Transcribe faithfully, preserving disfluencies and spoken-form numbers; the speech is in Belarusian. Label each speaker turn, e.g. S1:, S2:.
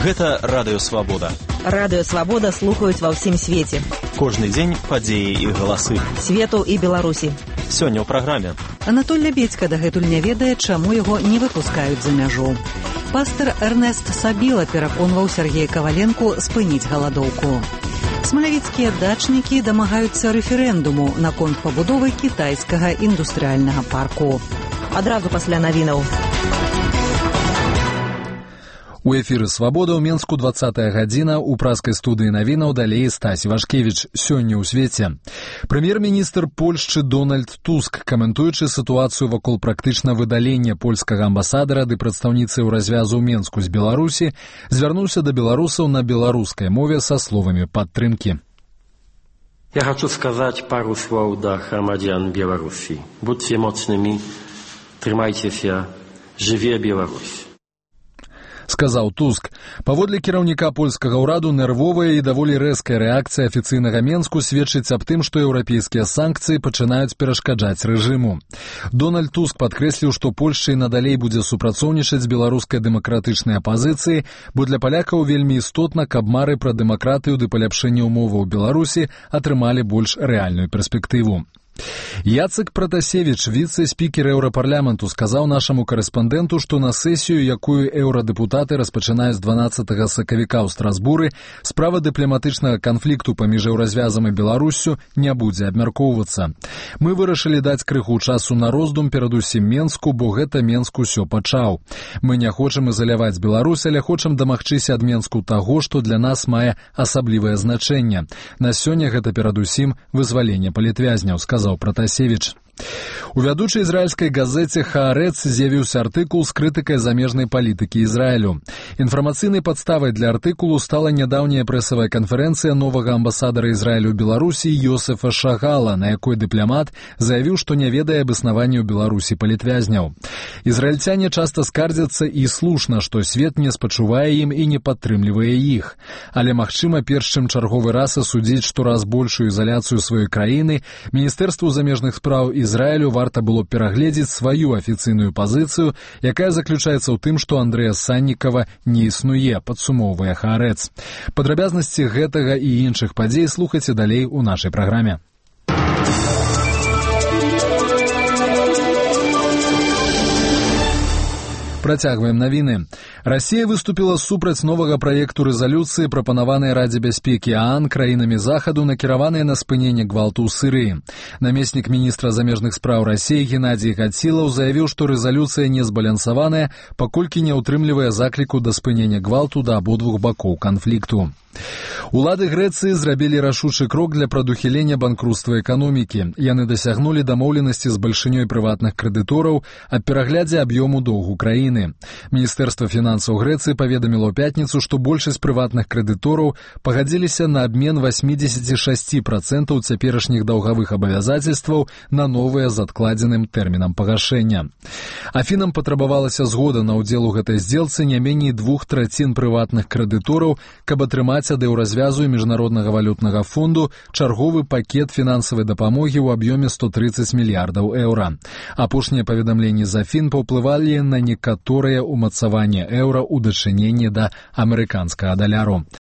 S1: Гэта Радыё Свабода.
S2: Радыё Свабода слухаюць ва ўсім свеце.
S1: Кожны дзень падзеі і галасы.
S2: Свету і Беларусі.
S1: Сёння ў праграме.
S3: Анатоль Лябедзька дагэтуль не ведае, чаму яго не выпускаюць за мяжу. Пастор Эрнест Сабіла пераконваў Сергея Каваленку спыніць галадоўку. Смалявіцкія дачнікі дамагаюцца рэферэндуму наконт пабудовы кітайскага індустрыяльнага парку.
S2: Адразу пасля навінаў.
S4: У эфіры «Свабода» ў Менску двадцатая гадзіна, у праскай студыі навінаў далей Стась Вашкевіч. Сёння ў свеце. Прэм'ер-міністр Польшчы Дональд Туск, каментуючы сітуацыю вакол практычна выдалення польскага амбасадара ды прадстаўніцы ў развязу ў Менску з Беларусі, звярнуўся да беларусаў на беларускай мове са словамі падтрымкі.
S5: Ja хочу сказать пару слов до громадян Беларуси. Будьте мощными, трымайцеся, жыве Беларусь.
S4: Сказаў Туск. Паводле кіраўніка польскага ўраду нервовая і даволі рэзкая рэакцыя афіцыйнага Менску сведчыць аб тым, што еўрапейскія санкцыі пачынаюць перашкаджаць рэжыму. Дональд Туск падкрэсліў, што Польшча і надалей будзе супрацоўнічаць з беларускай дэмакратычнай апазіцыяй, бо для палякаў вельмі істотна, каб мары пра дэмакратыю ды паляпшэнне ўмоваў Беларусі атрымалі больш рэальную перспектыву. Яцек Пратасевіч, віцэ-спікер еўрапарламенту, сказаў нашаму карэспандэнту, што на сесію, якую еўрадэпутаты распачынаюць дванаццатага сакавіка ў Страсбуры, справа дыпламатычнага канфлікту паміж еўразвязам і Беларуссю не будзе абмяркоўвацца. Мы вырашылі даць крыху часу на роздум перадусім Менску, бо гэта Менск усё пачаў. Мы не хочам ізаляваць Беларусь, але хочам дамагчыся ад Менску таго, што для нас мае асаблівае значэнне. На сёння гэта перадусім вызваленне палітвязняў, сказаў Пратасевіч. У вядучай ізраільскай газеце «Хаарэц» з'явіўся артыкул з крытыкай замежнай палітыкі Ізраілю. Інфармацыйнай падставай для артыкулу стала нядаўняя прэсавая канферэнцыя новага амбасадара Ізраілю ў Беларусі Йосефа Шагала, на якой дыпламат заявіў, што не ведае аб існаванні ў Беларусі палітвязняў. Ізраільцяне часта скардзяцца, і слушна, што свет не спачувае ім і не падтрымлівае іх. Але, магчыма, перш чым чарговы раз асудзіць штораз большую ізаляцыю сваёй краіны, Міністэрству замежных спраў Ізраілю варта было перагледзець сваю афіцыйную пазіцыю, якая заключаецца ў тым, што Андрэя Саннікава не існуе, падсумоўвае Хаарэц. Падрабязнасці гэтага і іншых падзей слухайце далей у нашай праграме. Працягваем навіны. Расія выступіла супраць новага праекту рэзалюцыі, прапанаванай Радзе бяспекі ААН краінамі Захаду, накіраванай на спыненне гвалту ў Сірыі. Намеснік міністра замежных спраў Расіі Геннадзій Гацілаў заявіў, што рэзалюцыя не збалансаваная, паколькі не ўтрымлівае закліку да спынення гвалту да абодвух бакоў канфлікту. Улады Грэцыі зрабілі рашучы крок для прадухілення банкруцтва эканомікі. Яны дасягнулі дамоўленасці з бальшынёй прыватных крэдытораў аб пераглядзе аб'ёму доўгу краіны. Міністэрства фінансаў Грэцыі паведаміла ў пятніцу, што большасць прыватных крэдытораў пагадзіліся на абмен восемьдесят шесть процентов цяперашніх даўгавых абавязацельстваў на новыя з адкладзеным тэрмінам пагашэння. Афінам патрабавалася згода на ўдзел у гэтай здзелцы не меней двух трацін прыватных крэдытораў, каб атрымаць ад еўразвязу і міжнароднага валютнага фонду чарговы пакет фінансавай дапамогі ў аб'ёме сто тридцать мільярдаў еўра. Апошнія паведамленні з Афін паўплывалі на некаторыя ўмацаванне еўра ў дачыненні да амерыканскага даляру.